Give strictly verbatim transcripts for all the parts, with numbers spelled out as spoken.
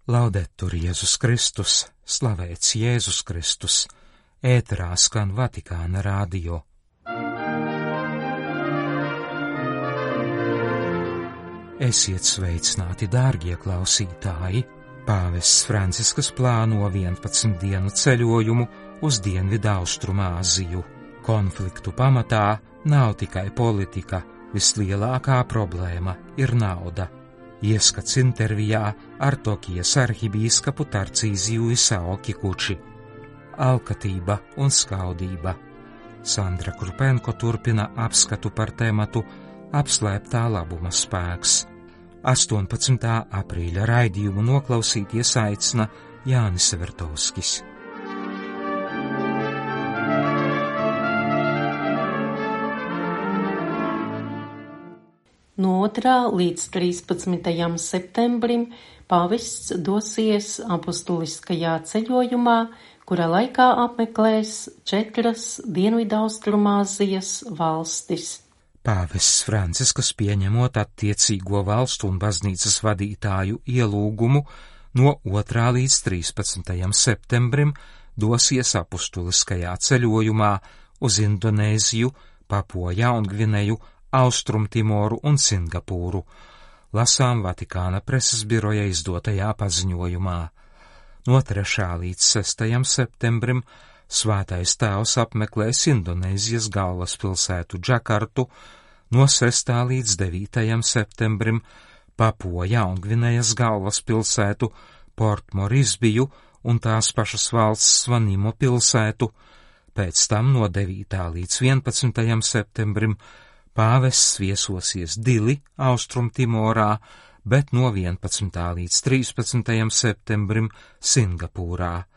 Laudetur Jēzus Kristus, slavēts Jēzus Kristus, ēterā skan Vatikāna radio. Esiet sveicināti, dārgie klausītāji! Pāvests Francisks plāno vienpadsmit dienu ceļojumu uz Dienvidu Austrumāziju. Konfliktu pamatā nav tikai politika, vislielākā problēma ir nauda. Ieskats intervijā ar Tokijas arhibīskapu Tarcīziju Isao Kikuči. Alkatība un skaudība. Sandra Krupenko turpina apskatu par tematu apslēptā labuma spēks. astoņpadsmitā aprīļa raidījumu noklausīties aicina Jānis Vertovskis. No otrā līdz trīspadsmitajam septembrim pāvests dosies apustuliskajā ceļojumā, kura laikā apmeklēs četras Dienvidaustrumāzijas valstis. Pāvests Francisks, pieņemot attiecīgo valstu un baznīcas vadītāju ielūgumu, no otrā līdz trīspadsmitajam septembrim dosies apustuliskajā ceļojumā uz Indonēziju, Papuo Jaungvineju, Austrumtimoru un Singapūru, lasām Vatikāna preses biroja izdotajā paziņojumā. No trešā līdz sestajam septembrim Svētais Tēvs apmeklēs Indonēzijas galvaspilsētu Džakartu, no sestā līdz devītajam septembrim Papuo Jaungvinejas galvaspilsētu Port Morisbiju un tās pašas valsts Svanimo pilsētu, pēc tam no devītā līdz vienpadsmitajam septembrim pāvests viesosies Dili, Austrumtimorā, bet no vienpadsmitā līdz trīspadsmitajam septembrim Singapūrā.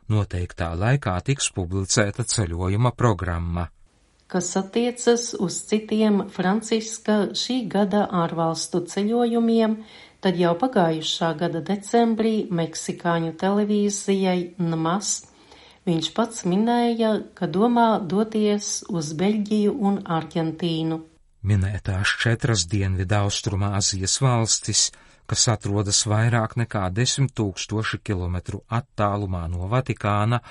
Noteiktā laikā tiks publicēta ceļojuma programma. Kas attiecas uz citiem Franciska šī gada ārvalstu ceļojumiem, tad jau pagājušā gada decembrī meksikāņu televīzijai N M A S viņš pats minēja, ka domā doties uz Beļģiju un Argentīnu. Minētās četras Dienvidaustrumāzijas valstis, kas atrodas vairāk nekā desmit tūkstoši kilometru attālumā no Vatikāna,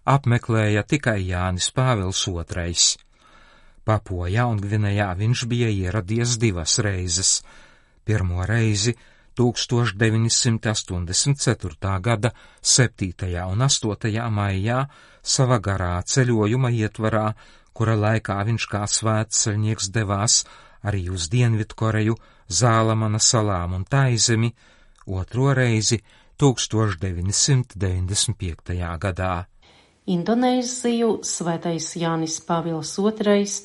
apmeklēja tikai Jānis Pāvils otrais. Papuo Jaungvinejā viņš bija ieradies divas reizes. Pirmo reizi tūkstoš deviņsimt astoņdesmit ceturtā gada septītajā un astotajā maijā sava garā ceļojuma ietvarā, kura laikā viņš kā svētceļnieks devās arī uz Dienvidkoreju, Zālamana salām un Taizemi, otro reizi tūkstoš deviņsimt deviņdesmit piektajā gadā. Indonēziju Svētais Jānis Pāvils otrais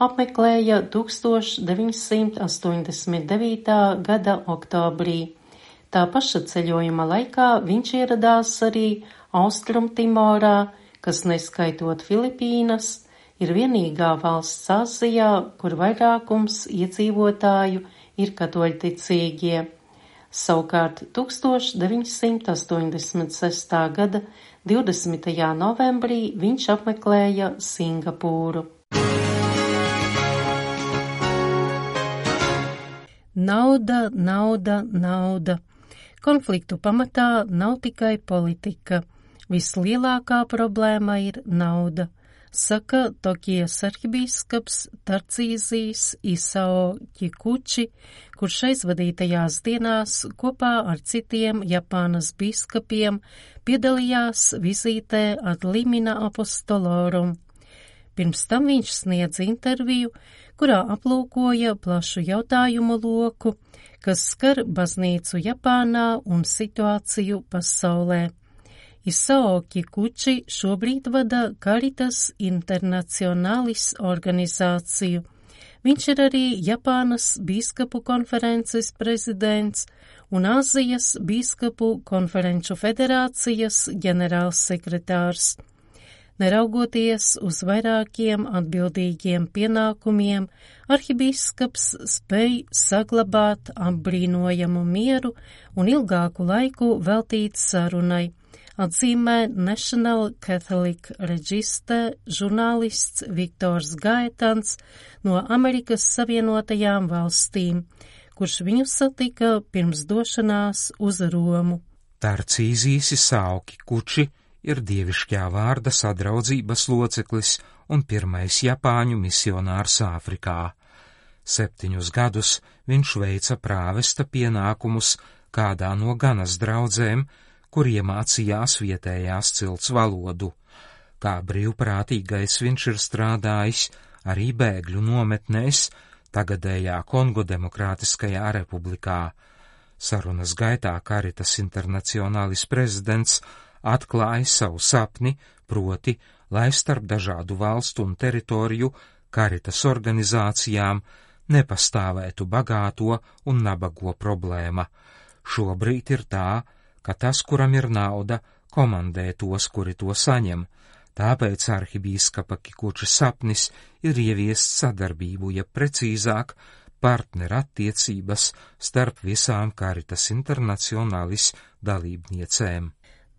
apmeklēja tūkstoš deviņsimt astoņdesmit devītā gada oktobrī. Tā paša ceļojuma laikā viņš ieradās arī Austrumtimorā, kas neskaitot Filipīnas, ir vienīgā valsts Āzijā, kur vairākums iedzīvotāju ir katoļticīgie. Savukārt tūkstoš deviņsimt astoņdesmit sestā gada divdesmitajā novembrī viņš apmeklēja Singapūru. Nauda, nauda, nauda. Konfliktu pamatā nav tikai politika. Vislielākā problēma ir nauda, saka Tokijas arhibīskaps Tarcīzijs Isao Kikuči, kurš aizvadītajās dienās kopā ar citiem Japānas biskupiem piedalījās vizītē ad limina apostolorum. Pirms tam viņš sniedz interviju, kurā aplūkoja plašu jautājumu loku, kas skar baznīcu Japānā un situāciju pasaulē. Isao Kikuči šobrīd vada Caritas Internationalis organizāciju. Viņš ir arī Japānas bīskapu konferences prezidents un Āzijas bīskapu konferenču federācijas ģenerālsekretārs. Neraugoties uz vairākiem atbildīgiem pienākumiem, arhibīskaps spēj saglabāt apbrīnojamu mieru un ilgāku laiku veltīt sarunai, atzīmē National Catholic Register žurnālists Viktors Gaetans no Amerikas Savienotajām valstīm, kurš viņu satika pirms došanās uz Romu. Tarcīzijs Isaoki Kuči ir dievišķā vārda sadraudzības loceklis un pirmais Japāņu misionārs Āfrikā. Septiņus gadus viņš veica prāvesta pienākumus kādā no Ganas draudzēm, kur iemācījās vietējās cilts valodu. Kā brīvprātīgais viņš ir strādājis arī bēgļu nometnēs, tagadējā Kongo Demokrātiskajā republikā. Sarunas gaitā Caritas Internationalis prezidents atklāja savu sapni, proti, lai starp dažādu valstu un teritoriju Caritas organizācijām nepastāvētu bagāto un nabago problēma. Šobrīd ir tā, ka tas, kuram ir nauda, komandē tos, kuri to saņem. Tāpēc arhibīskapa Kikuča sapnis ir ieviest sadarbību, ja precīzāk partnerattiecības starp visām Caritas Internationalis dalībniecēm.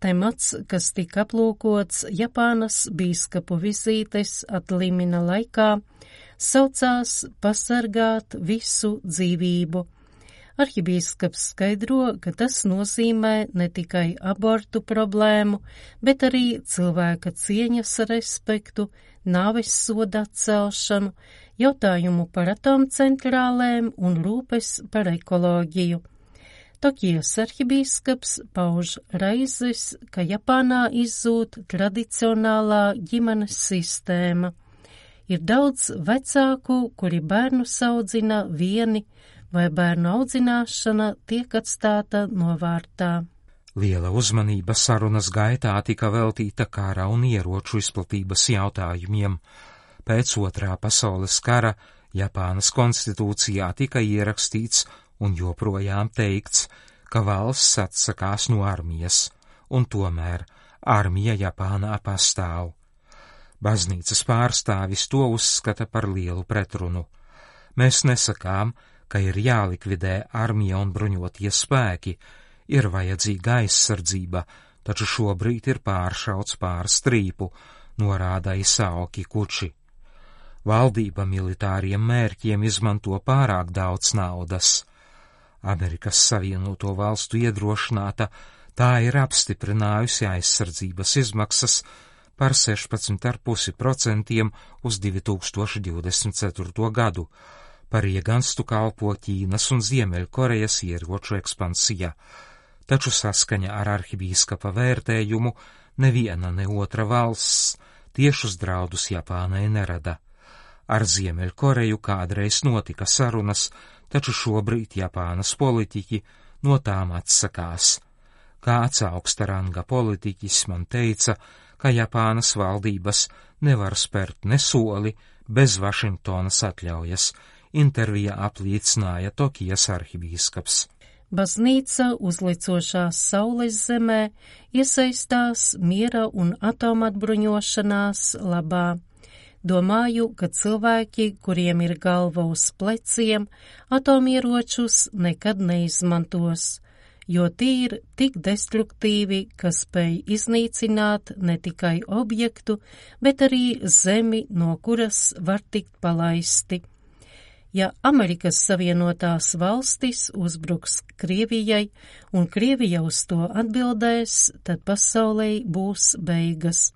Temats, kas tika aplūkots Japānas bīskapu vizītes atlimina laikā, saucās pasargāt visu dzīvību. Arhibīskaps skaidro, ka tas nozīmē ne tikai abortu problēmu, bet arī cilvēka cieņas respektu, nāves soda atcelšanu, jautājumu par atomcentrālēm un rūpes par ekoloģiju. Tokijas arhibīskaps pauž raizes, ka Japānā izzūd tradicionālā ģimenes sistēma. Ir daudz vecāku, kuri bērnus audzina vieni, vai bērnu audzināšana tiek atstāta novārtā. Liela uzmanība sarunas gaitā tika veltīta kara un ieroču izplatības jautājumiem. Pēc otrā pasaules kara Japānas konstitūcijā tika ierakstīts un joprojām teikts, ka valsts atsakās no armijas, un tomēr armija Japānā pastāv. Baznīcas pārstāvis to uzskata par lielu pretrunu. Mēs nesakām, ka ir jālikvidē armija un bruņotie spēki, ir vajadzīga aizsardzība, taču šobrīd ir pāršauts pār strīpu, norāda Isaoki Kuči. Valdība militāriem mērķiem izmanto pārāk daudz naudas. Amerikas Savienoto Valstu iedrošināta, tā ir apstiprinājusi aizsardzības izmaksas par sešpadsmit komats pieci procenti uz divi tūkstoši divdesmit ceturto gadu, par ieganstu kalpo Ķīnas un Ziemeļkorejas ieroču ekspansija, taču saskaņa ar arhibīskapa vērtējumu neviena ne otra valsts tiešus draudus Japānai nerada. Ar Ziemeļkoreju kādreiz notika sarunas, taču šobrīd Japānas politiķi no tām atsakās. Kāds augsta ranga politiķis man teica, ka Japānas valdības nevar spērt ne soli bez Vašingtonas atļaujas, intervijā apliecināja Tokijas arhibīskaps. Baznīca uzlicošās saules zemē iesaistās miera un atomatbruņošanās labā. Domāju, ka cilvēki, kuriem ir galva uz pleciem, atomieročus nekad neizmantos, jo tie ir tik destruktīvi, ka spēj iznīcināt ne tikai objektu, bet arī zemi, no kuras var tikt palaisti. Ja Amerikas Savienotās valstis uzbruks Krievijai un Krievija uz to atbildēs, tad pasaulē būs beigas,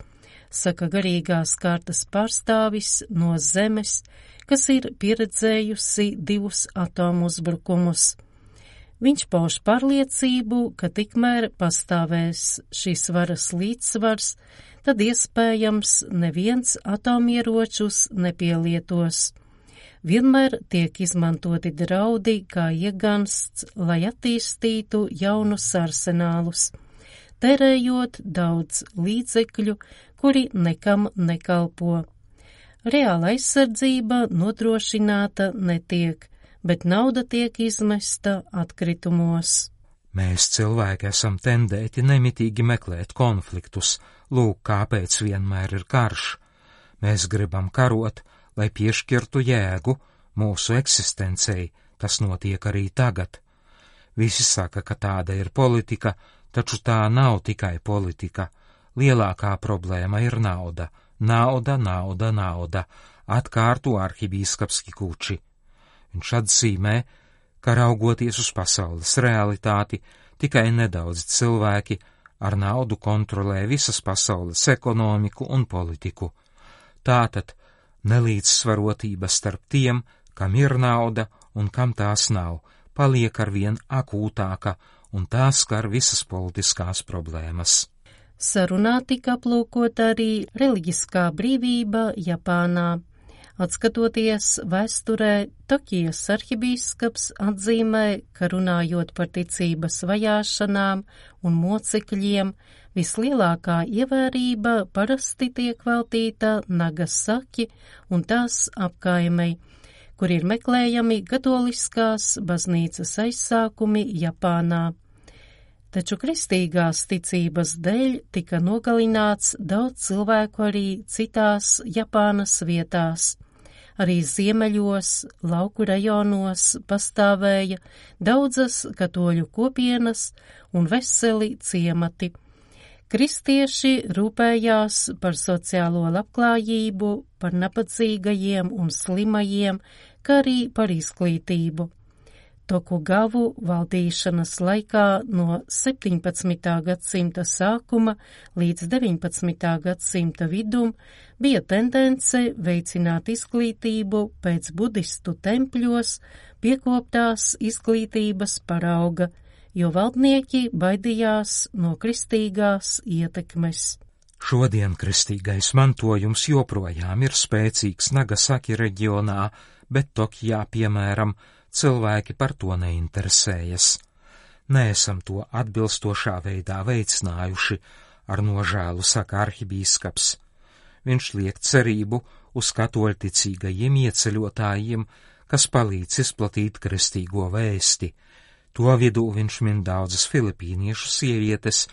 saka garīgās kārtas pārstāvis no zemes, kas ir pieredzējusi divus atomu uzbrukumus. Viņš pauž pārliecību, ka tikmēr pastāvēs šīs varas līdzsvars, tad iespējams neviens atomieročus nepielietos. Vienmēr tiek izmantoti draudi kā iegansts, lai attīstītu jaunus arsenālus, tērējot daudz līdzekļu, kuri nekam nekalpo. Reāla aizsardzība nodrošināta netiek, bet nauda tiek izmesta atkritumos. Mēs cilvēki esam tendēti nemitīgi meklēt konfliktus, lūk, kāpēc vienmēr ir karš. Mēs gribam karot, lai piešķirtu jēgu mūsu eksistencei, tas notiek arī tagad. Visi saka, ka tāda ir politika, taču tā nav tikai politika. Lielākā problēma ir nauda. Nauda, nauda, nauda, atkārto arhibīskaps Kikuči. Viņš atzīmē, ka raugoties uz pasaules realitāti, tikai nedaudzi cilvēki ar naudu kontrolē visas pasaules ekonomiku un politiku. Tātad nelīdzsvarotība starp tiem, kam ir nauda un kam tās nav, paliek arvien akūtāka, un tā skar visas politiskās problēmas. Sarunā tika aplūkota arī reliģiskā brīvība Japānā. Atskatoties vēsturē, Tokijas arhibīskaps atzīmē, ka runājot par ticības vajāšanām un mocekļiem, vislielākā ievērība parasti tiek veltīta Nagasaki un tās apkaimei, kur ir meklējami katoliskās baznīcas aizsākumi Japānā. Taču kristīgās ticības dēļ tika nogalināts daudz cilvēku arī citās Japānas vietās. Arī ziemeļos, lauku rajonos pastāvēja daudzas katoļu kopienas un veseli ciemati. Kristieši rūpējās par sociālo labklājību, par nabadzīgajiem un slimajiem, kā arī par izglītību. Tokugavu valdīšanas laikā no septiņpadsmitā gadsimta sākuma līdz deviņpadsmitā gadsimta vidum bija tendence veicināt izglītību pēc budistu tempļos piekoptās izglītības parauga, jo valdnieki baidījās no kristīgās ietekmes. Šodien kristīgais mantojums joprojām ir spēcīgs Nagasaki reģionā, bet Tokijā, piemēram, cilvēki par to neinteresējas. Neesam to atbilstošā veidā veicinājuši, ar nožēlu saka arhibīskaps. Viņš liek cerību uz katoļticīgajiem ieceļotājiem, kas palīdz izplatīt kristīgo vēsti. To vidū viņš min daudzas filipīniešu sievietes,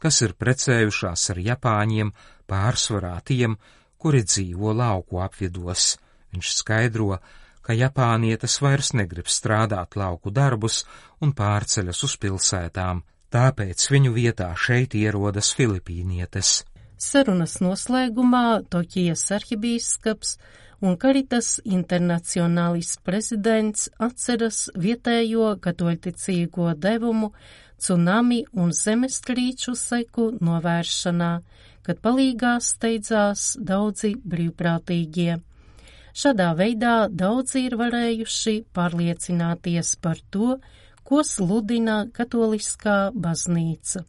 kas ir precējušās ar japāņiem, pārsvarā tiem, kuri dzīvo lauku apvidos. Viņš skaidro, ka japānietes vairs negrib strādāt lauku darbus un pārceļas uz pilsētām, tāpēc viņu vietā šeit ierodas filipīnietes. Sarunas noslēgumā Tokijas arhibīskaps un Caritas Internationalis prezidents atceras vietējo katoļticīgo devumu cunami un zemestrīču seku novēršanā, kad palīgā steidzās daudzi brīvprātīgie. Šādā veidā daudzi ir varējuši pārliecināties par to, ko sludina katoliskā baznīca.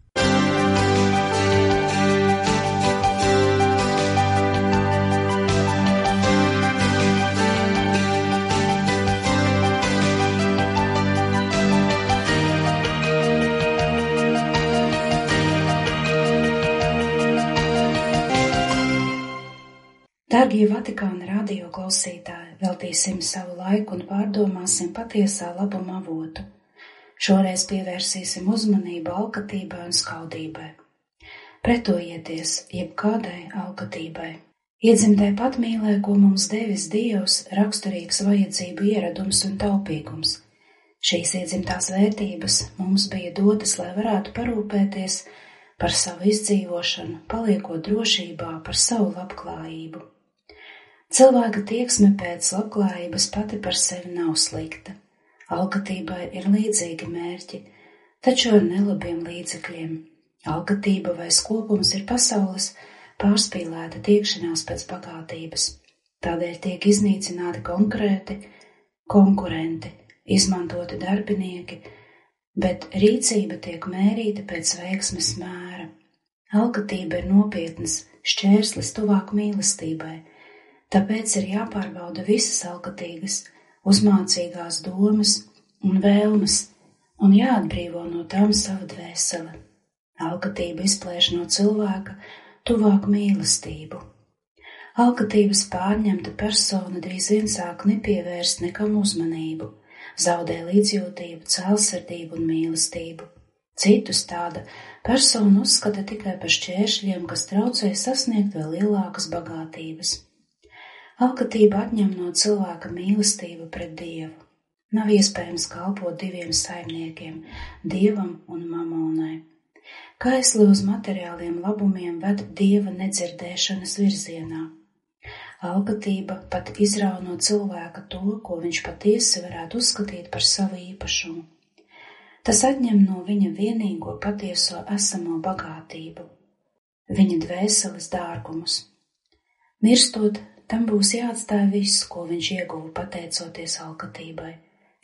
Dārgie Vatikāna radio klausītāji, veltīsim savu laiku un pārdomāsim patiesā labuma avotu. Šoreiz pievērsīsim uzmanību alkatībai un skaudībai. Pretojieties jebkādai alkatībai. Iedzimtē patmīlē, ko mums devis Dievs, raksturīgs vajadzību ieradums un taupīgums. Šīs iedzimtās vērtības mums bija dotas, lai varētu parūpēties par savu izdzīvošanu, paliekot drošībā par savu labklājību. Cilvēka tieksme pēc labklājības pati par sevi nav slikta. Alkatībai ir līdzīgi mērķi, taču ar nelabiem līdzekļiem. Alkatība vai skopums ir pasaules pārspīlēta tiekšanās pēc bagātības. Tādēļ tiek iznīcināti konkrēti konkurenti, izmantoti darbinieki, bet rīcība tiek mērīta pēc veiksmes mēra. Alkatība ir nopietnas šķērslis tuvāk mīlestībai. Tāpēc ir jāpārbauda visas alkatīgas, uzmācīgās domas un vēlmes un jāatbrīvo no tām sava dvēsele. Alkatība izplēš no cilvēka tuvāk mīlestību. Alkatības pārņemta persona drīz vien sāk nepievērst nekam uzmanību, zaudē līdzjūtību, cēlsirdību un mīlestību. Citus tāda persona uzskata tikai par šķēršļiem, kas traucē sasniegt vēl lielākas bagātības. Alkatība atņem no cilvēka mīlestību pret Dievu. Nav iespējams kalpot diviem saimniekiem, Dievam un mamonai. Kaisli uz materiāliem labumiem ved Dieva nedzirdēšanas virzienā. Alkatība pat izrauj no cilvēka to, ko viņš patiesi varētu uzskatīt par savu īpašumu. Tas atņem no viņa vienīgo patieso esamo bagātību, viņa dvēseles dārgumus. Mirstot, tam būs jāatstāj viss, ko viņš ieguva pateicoties alkatībai,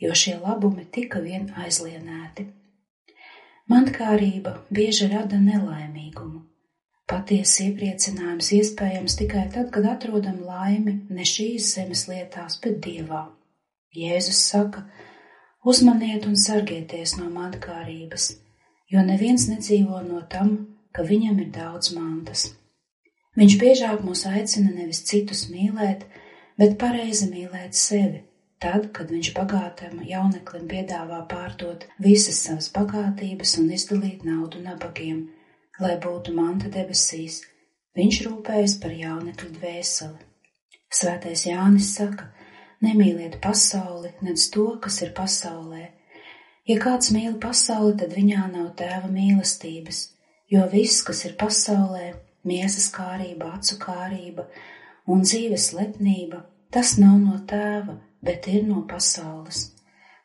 jo šie labumi tika vien aizlienēti. Mantkārība bieži rada nelaimīgumu. Patiesi iepriecinājums iespējams tikai tad, kad atrodam laimi ne šīs zemes lietās, bet Dievā. Jēzus saka: uzmaniet un sargieties no mantkārības, jo neviens nedzīvo no tam, ka viņam ir daudz mantas. Viņš biežāk mūs aicina nevis citus mīlēt, bet pareizi mīlēt sevi, tad, kad viņš bagātam jauneklim piedāvā pārdot visas savas bagātības un izdalīt naudu nabagiem, lai būtu manta debesīs, viņš rūpējas par jaunekļu dvēseli. Svētais Jānis saka: nemīliet pasauli, nedz to, kas ir pasaulē. Ja kāds mīl pasauli, tad viņā nav tēva mīlestības, jo viss, kas ir pasaulē, miesas kārība, acu kārība un dzīves lepnība, tas nav no tēva, bet ir no pasaules.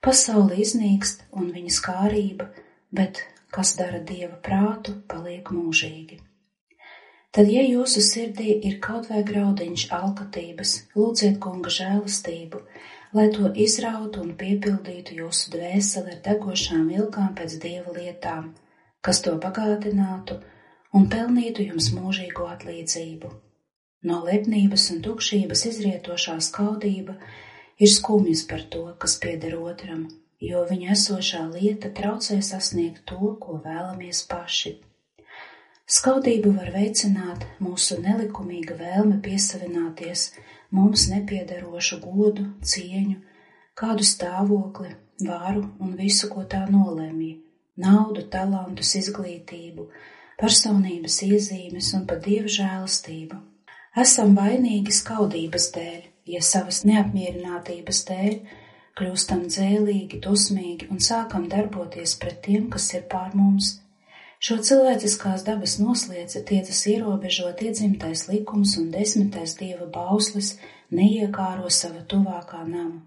Pasaule iznīkst un viņas kārība, bet kas dara Dieva prātu, paliek mūžīgi. Tad, ja jūsu sirdī ir kaut vai graudiņš alkatības, lūdziet Kunga žēlastību, lai to izrautu un piepildītu jūsu dvēseli ar degošām ilgām pēc Dieva lietām, kas to bagātinātu un pelnītu jums mūžīgo atlīdzību. No lepnības un tukšības izrietošā skaudība ir skumjas par to, kas pieder otram, jo viņa esošā lieta traucē sasniegt to, ko vēlamies paši. Skaudību var veicināt mūsu nelikumīga vēlme piesavināties mums nepiederošu godu, cieņu, kādu stāvokli, varu un visu, ko tā nolemj, naudu, talantus, izglītību, personības iezīmes un pat Dieva žēlastību. Esam vainīgi skaudības dēļ, ja savas neapmierinātības dēļ kļūstam dzēlīgi, dusmīgi un sākam darboties pret tiem, kas ir pār mums. Šo cilvēciskās dabas noslēdzi tiecas ierobežot iedzimtais likums un desmitais Dieva bauslis neiekāro sava tuvākā nama.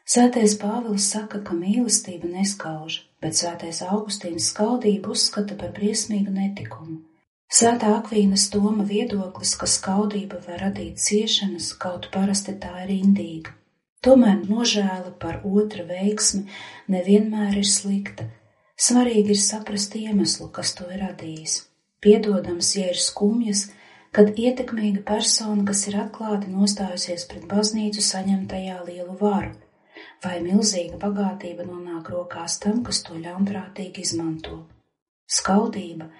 Svētais Pāvils saka, ka mīlestība neskauž, bet svētais Augustīns skaudību uzskata par briesmīgu netikumu. Svētā Akvīnas Toma viedoklis, ka skaudība var radīt ciešanas, kaut parasti tā ir indīga. Tomēr nožēla par otra veiksmi nevienmēr ir slikta. Svarīgi ir saprast iemeslu, kas to ir radījis. Piedodams, ja ir skumjas, kad ietekmīga persona, kas ir atklāti nostājusies pret baznīcu, saņem tajā lielu varu, vai milzīga bagātība nonāk rokās tam, kas to ļaunprātīgi izmanto. Skaudība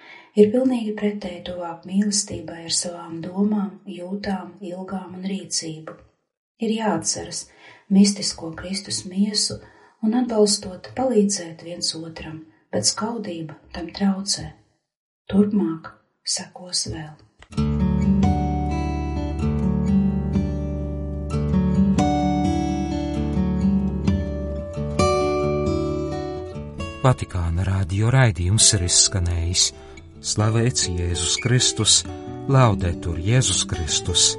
ir pilnīgi pretēji tuvāk mīlestībai ar savām domām, jūtām, ilgām un rīcību. Ir jāatceras mistisko Kristus miesu un atbalstot palīdzēt viens otram, bet skaudība tam traucē. Turpmāk sekos vēl. Vatikāna radio raidījums ir izskanējis. Slavēts Jēzus Kristus, laudetur Jēzus Kristus.